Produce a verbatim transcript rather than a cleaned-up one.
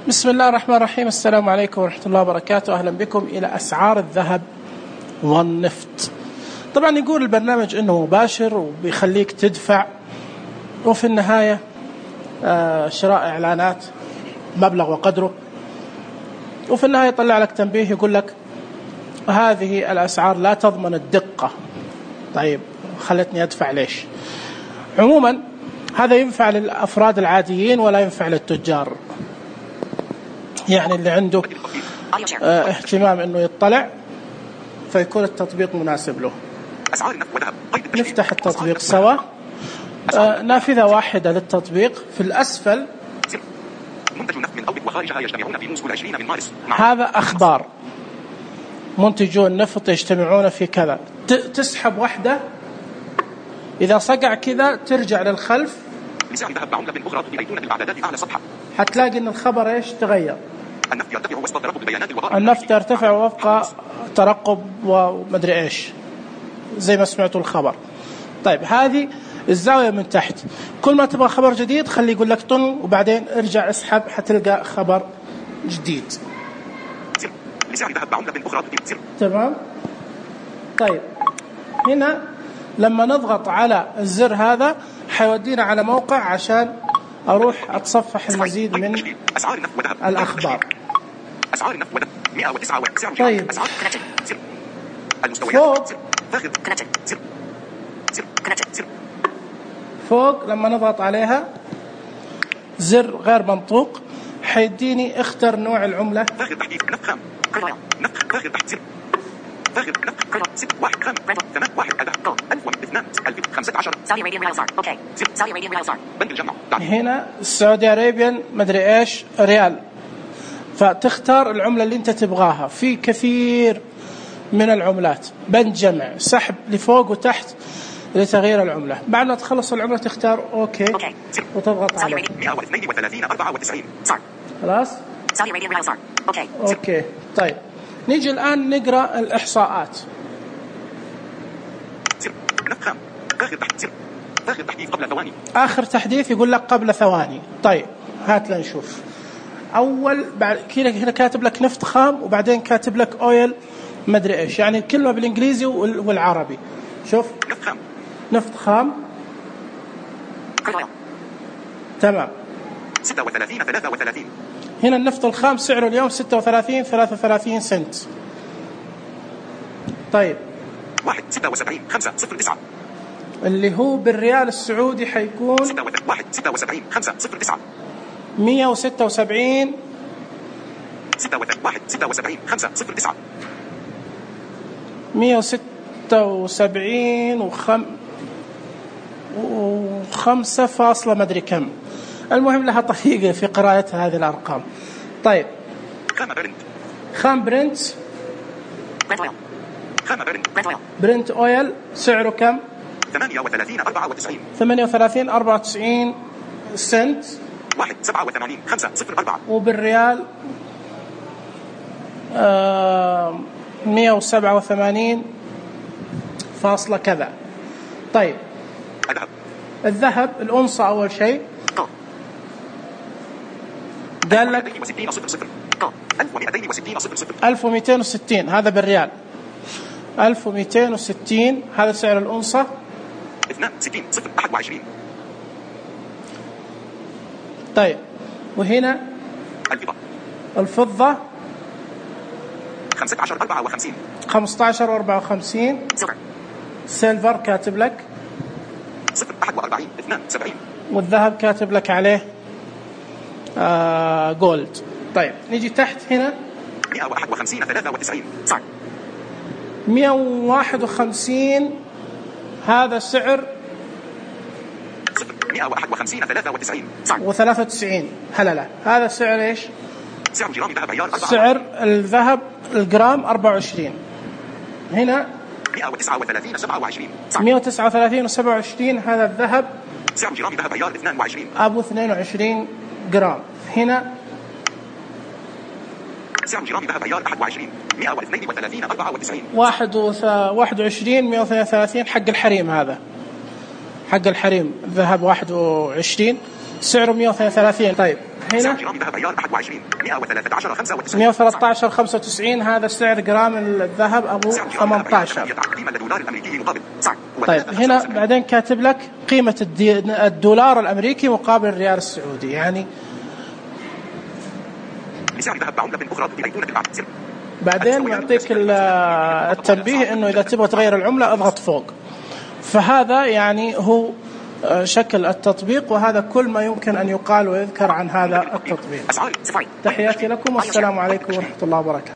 بسم الله الرحمن الرحيم. السلام عليكم ورحمة الله وبركاته. أهلا بكم إلى أسعار الذهب والنفط. طبعا يقول البرنامج أنه مباشر وبيخليك تدفع، وفي النهاية شراء إعلانات مبلغ وقدره، وفي النهاية يطلع لك تنبيه يقول لك هذه الأسعار لا تضمن الدقة. طيب خلتني أدفع ليش؟ عموما هذا ينفع للأفراد العاديين ولا ينفع للتجار، يعني اللي عنده اه اهتمام انه يطلع فيكون التطبيق مناسب له. نفتح التطبيق سوا. اه نافذة واحدة للتطبيق. في الأسفل هذا أخبار منتجو النفط يجتمعون في كذا، تسحب واحدة، إذا صقع كذا ترجع للخلف حتلاقي إن الخبر إيش تغير. النفط يرتفع وفق ترقب ومدري إيش زي ما سمعتوا الخبر. طيب هذه الزاوية من تحت، كل ما تبغى خبر جديد خلي يقول لك طن وبعدين ارجع اسحب حتلقى خبر جديد. تمام. طيب هنا لما نضغط على الزر هذا حيودينا على موقع عشان أروح أتصفح المزيد من الأخبار. طيب فوق فوق لما نضغط عليها زر غير منطوق حيديني اختر نوع العملة. هنا السعودي أريبيان مدري إيش ريال، فتختار العملة اللي أنت تبغاها. في كثير من العملات، بند جمع، سحب لفوق وتحت لتغيير العملة. بعد ما تخلص العملة تختار أوكي وتضغط عليه. خلاص أوكي. طيب نيجي الآن نقرأ الإحصاءات. آخر تحديث يقول لك قبل ثواني. طيب هات لنشوف. أول بعد كذا هنا كاتب لك نفط خام وبعدين كاتب لك أويل مدري إيش، يعني كلمة بالإنجليزي والعربي. شوف نفط خام تمام ستة وثلاثين ثلاثة وثلاثين. هنا النفط الخام سعره اليوم ستة وثلاثين ثلاثة وثلاثين سنت. طيب واحد ستة وسبعين خمسة صفر تسعة اللي هو بالريال السعودي حيكون واحد ستة وسبعين خمسة صفر تسعة مية وستة وسبعين واحد ستة وسبعين خمسة صفر تسعة مية وستة وسبعين وخم وخمسة فاصلة مدري كم. المهم لها طريقة في قراءة هذه الأرقام. طيب خام برنت خام برنت خام برنت برنت أويل سعره كم؟ ثمانية وثلاثين أربعة وتسعين ثمانية وثلاثين أربعة وتسعين سنت. واحد سبعة وثمانين خمسة صفر أربعة وبالريال آه مية وسبعة وثمانين فاصلة كذا. طيب الذهب الذهب الأونصة أول شيء قال لك ألف ومئتين وستين هذا بالريال، ألف ومئتين وستين هذا سعر الأونصة. اثنين وستين صفر واحد وعشرين. طيب وهنا الفضة الفضة خمسة عشر أربعة وخمسين خمسة عشر أربعة وخمسين. سيلفر كاتب لك صفر واحد وأربعين اثنين وسبعين. والذهب كاتب لك عليه آه جولد. طيب نيجي تحت هنا مئة وواحد وخمسين ثلاثة وتسعين صح مئة وواحد وخمسين هذا سعر مئة وواحد وخمسين ثلاثة وتسعين صح وثلاثة وتسعين. هلا لا هذا سعر ايش؟ سعر جرام الذهب عيار سعر الذهب الجرام أربعة وعشرين. هنا مئة وتسعة وثلاثين سبعة وعشرين صح مئة وتسعة وثلاثين سبعة وعشرين. هذا الذهب سعر جرام الذهب عيار اثنين وعشرين أبو اثنين وعشرين جرام. هنا سعر جرام ذهب عيار واحد وعشرين مئة واثنين وثلاثين أربعة وتسعين واحد واحد وعشرين مئة واثنين وثلاثين حق الحريم. هذا حق الحريم ذهب واحد وعشرين سعره مئة واثنين وثلاثين. طيب هنا مئة وثلاثة عشر خمسة وتسعين، هذا سعر جرام الذهب أبو ثمانية عشر. طيب هنا بعدين كاتب لك قيمة الدولار الأمريكي مقابل الريال السعودي، يعني بعدين يعطيك التنبيه إنه إذا تبغى تغير العملة اضغط فوق. فهذا يعني هو شكل التطبيق، وهذا كل ما يمكن أن يقال ويذكر عن هذا التطبيق. تحياتي لكم والسلام عليكم ورحمة الله وبركاته.